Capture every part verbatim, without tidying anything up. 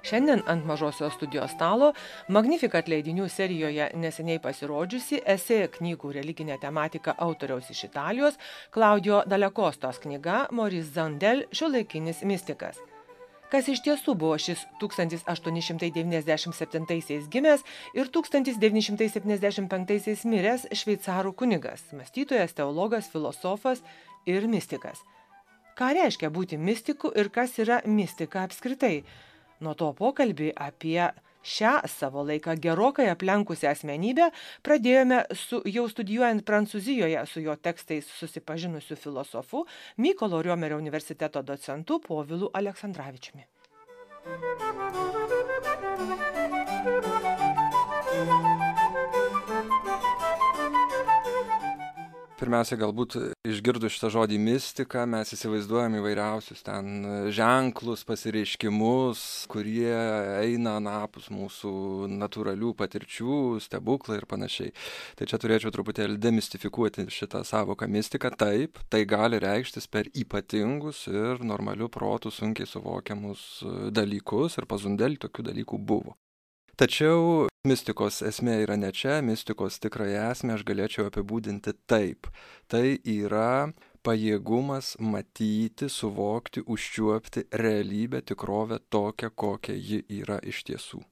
Šiandien ant mažosios studijos stalo Magnificat leidinių serijoje neseniai pasirodžiusi esė knygų religinė tematika autoriaus iš Italijos Klaudijo Dalekostos knyga Maurice Zandel Šiuolaikinis mistikas. Kas iš tiesų buvo šis tūkstantis aštuoni šimtai devyniasdešimt septintaisiais gimęs ir tūkstantis devyni šimtai septyniasdešimt penktaisiais miręs šveicarų kunigas, mąstytojas, teologas, filosofas ir mistikas. Ką reiškia būti mistiku ir kas yra mistika apskritai? Nuo to pokalbį apie šią savo laiką gerokai aplenkusią asmenybę pradėjome su jau studijuojant Prancūzijoje su jo tekstais susipažinusiu filosofu Mykolo Riomerio universiteto docentu Povilu Aleksandravičiumi. Pirmiausia, galbūt išgirdus šitą žodį mistika, mes įsivaizduojam įvairiausius ten ženklus, pasireiškimus, kurie eina anapus mūsų natūralių patirčių, stebuklai ir panašiai. Tai čia turėčiau truputėlį demistifikuoti šitą savoką mistika. Taip, tai gali reikštis per ypatingus ir normalių protų sunkiai suvokiamus dalykus ir pas Zundelį tokių dalykų buvo. Tačiau mistikos esmė yra ne čia, mistikos tikrąją esmę aš galėčiau apibūdinti taip. Tai yra pajėgumas matyti, suvokti, užčiuopti realybę, tikrovę tokią, kokia ji yra iš tiesų.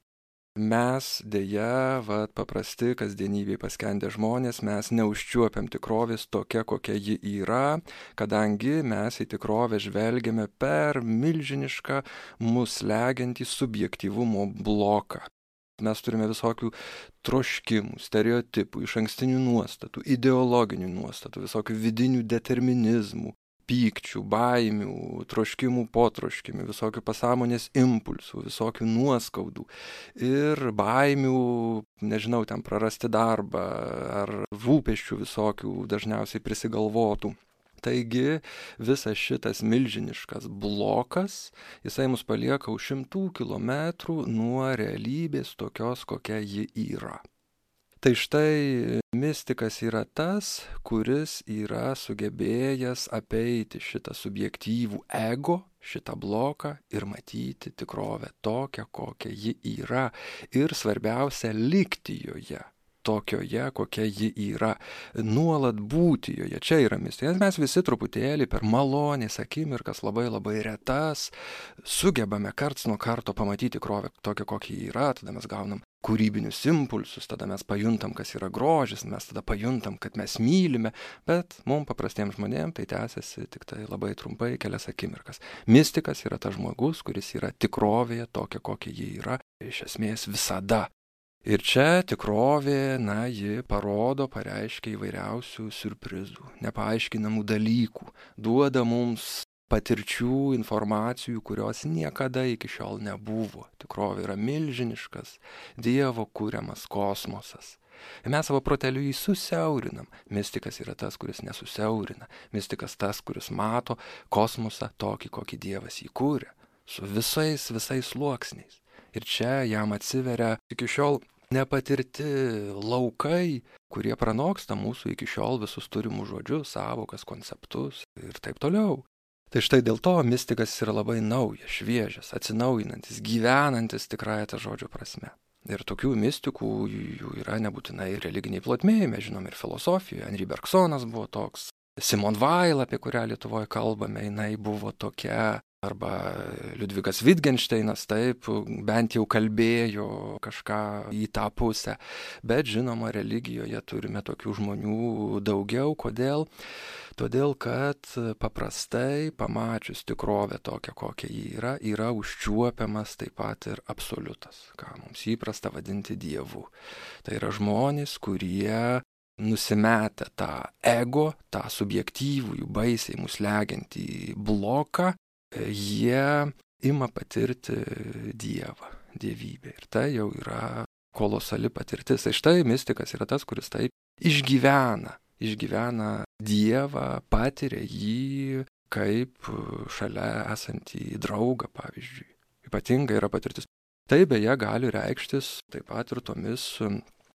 Mes dėja, vat, paprasti kasdienybėje paskendę žmonės, mes neužčiuopiam tikrovės tokia, kokia ji yra, kadangi mes į tikrovę žvelgiame per milžinišką mus slegiantį subjektyvumo bloką. Mes turime visokių troškimų, stereotipų, išankstinių nuostatų, ideologinių nuostatų, visokių vidinių determinizmų, pykčių, baimių, troškimų, potroškimių, visokių pasąmonės impulsų, visokių nuoskaudų ir baimių, nežinau, ten prarasti darbą ar rūpesčių visokių dažniausiai prisigalvotų. Taigi visas šitas milžiniškas blokas, jisai mus palieka už šimtų kilometrų nuo realybės tokios, kokia ji yra. Tai štai mistikas yra tas, kuris yra sugebėjęs apeiti šitą subjektyvų ego, šitą bloką ir matyti tikrovę tokią, kokia ji yra ir svarbiausia likti joje. Tokioje, kokia ji yra, nuolat būti joje. Čia yra mistika. Mes visi truputėlį per malonės akimirkas, labai labai retas, sugebame karts nuo karto pamatyti tikrovę tokią, kokia ji yra, tada mes gaunam kūrybinius impulsus, tada mes pajuntam, kas yra grožis, mes tada pajuntam, kad mes mylime, bet mums paprastiems žmonėms tai tęsiasi tik tai labai trumpai kelias akimirkas. Mistikas yra tas žmogus, kuris yra tikrovėje tokia, kokia ji yra, iš esmės visada. Ir čia tikrovė, na, ji parodo, pareiškia įvairiausių siurprizų, nepaaiškinamų dalykų, duoda mums patirčių, informacijų, kurios niekada iki šiol nebuvo. Tikrovė yra milžiniškas, Dievo kuriamas kosmosas. Ir mes savo proteliu jį susiaurinam. Mistikas yra tas, kuris nesusiaurina. Mistikas tas, kuris mato kosmosą tokį, kokį Dievas jį kūrė, su visais, visais sluoksniais. Ir čia jam atsiveria iki šiol nepatirti laukai, kurie pranoksta mūsų iki šiol visus turimus žodžius, sąvokas, konceptus ir taip toliau. Tai štai dėl to mistikas yra labai naujas, šviežias, atsinaujinantis, gyvenantis tikrąją tą žodžio prasme. Ir tokių mistikų jų yra nebūtinai religiniai plotmėje, mes žinom ir filosofijoje. Henri Bergsonas buvo toks, Simone Weil, apie kurią Lietuvoje kalbame, jinai buvo tokia, arba Liudvigas Wittgensteinas, taip, bent jau kalbėjo kažką į tą pusę. Bet žinoma, religijoje turime tokių žmonių daugiau. Kodėl? Todėl, kad paprastai pamačius tikrovę tokią, kokia ji yra, yra užčiuopiamas taip pat ir absoliutas, ką mums įprasta vadinti Dievu. Tai yra žmonės, kurie nusimetę tą ego, tą subjektyvų, jų baisiai mus slegiantį bloką, jie ima patirti Dievą, dievybę. Ir tai jau yra kolosali patirtis. Tai štai mistikas yra tas, kuris taip išgyvena, išgyvena Dievą, patiria jį kaip šalia esantį draugą, pavyzdžiui. Ypatinga yra patirtis. Tai beje gali reikštis taip pat ir tomis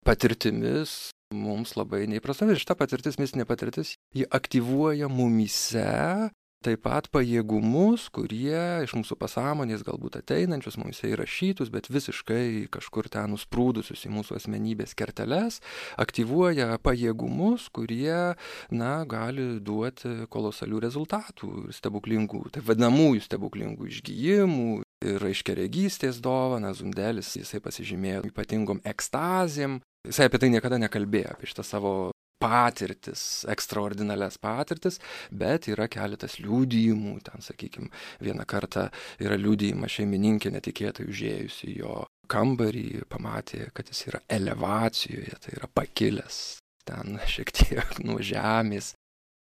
patirtimis mums labai neįprastomis. Ir šita patirtis, mistinė patirtis, ji aktyvuoja mumyse taip pat pajėgumus, kurie iš mūsų pasąmonės galbūt ateinančius, mums įrašytus, bet visiškai kažkur ten nusprūdusius į mūsų asmenybės kerteles, aktyvuoja pajėgumus, kurie, na, gali duoti kolosalių rezultatų ir stebuklingų, taip vadinamųjų stebuklingų išgijimų. Ir aiškiaregystės dovana, Zundelis, jisai pasižymėjo ypatingom ekstazėm. Jisai apie tai niekada nekalbėjo, apie šitą savo patirtis, ekstraordinalias patirtis, bet yra keletas liudijimų, ten, sakykime, vieną kartą yra liudijimas šeimininkė netikėtai užėjusi į jo kambarį, pamatė, kad jis yra elevacijoje, tai yra pakilęs ten šiek tiek nuo žemės.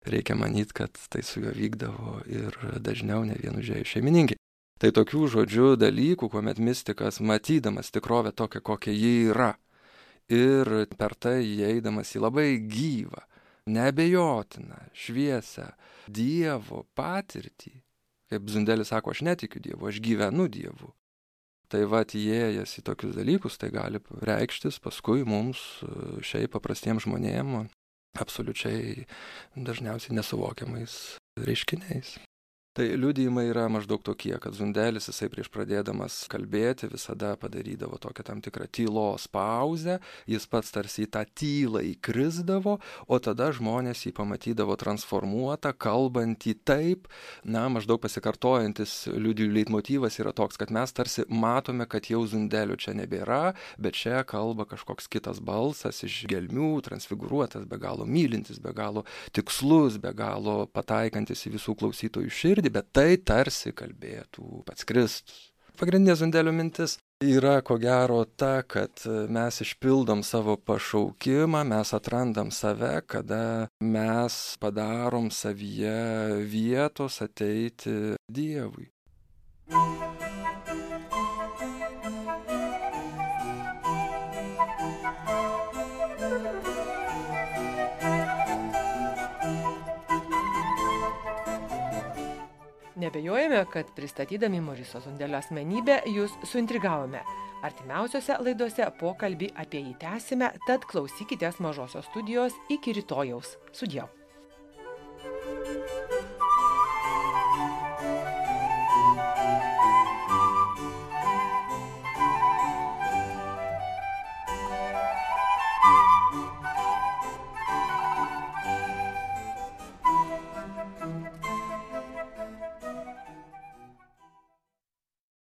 Reikia manyti, kad tai su juo vykdavo ir dažniau ne vien užėjus šeimininkė. Tai tokių žodžių dalykų, kuomet mistikas, matydamas tikrovę tokią, kokia ji yra, ir per tai įeidamas į labai gyvą, neabejotiną, šviesią Dievo patirtį, kaip Zundelis sako, aš netikiu Dievu, aš gyvenu Dievu. Tai va, įėjęs į tokius dalykus, tai gali reikštis paskui mums, šiaip paprastiems žmonėms, absoliučiai dažniausiai nesuvokiamais reiškiniais. Tai liudijimai yra maždaug tokie, kad Zundelis, jisai prieš pradėdamas kalbėti, visada padarydavo tokią tam tikrą tylos pauzę, jis pats tarsi į tą tylą įkrisdavo, o tada žmonės jį pamatydavo transformuotą, kalbantį taip, na, maždaug pasikartojantis liudijų leitmotyvas yra toks, kad mes tarsi matome, kad jau Zundelio čia nebėra, bet čia kalba kažkoks kitas balsas iš gelmių, transfigūruotas, be galo mylintis, be galo tikslus, be galo pataikantis į visų klausytojų širdį, bet tai tarsi kalbėtų pats Kristus. Pagrindinė Zundelio mintis yra, ko gero, ta, kad mes išpildom savo pašaukimą, mes atrandam save, kada mes padarom savyje vietos ateiti Dievui. Nebejojame, kad pristatydami Moriso Zundelio asmenybę jūs suintrigavome. Artimiausiose laidose pokalbį apie jį tęsime, tad klausykitės Mažosios studijos iki rytojaus. Sudieu.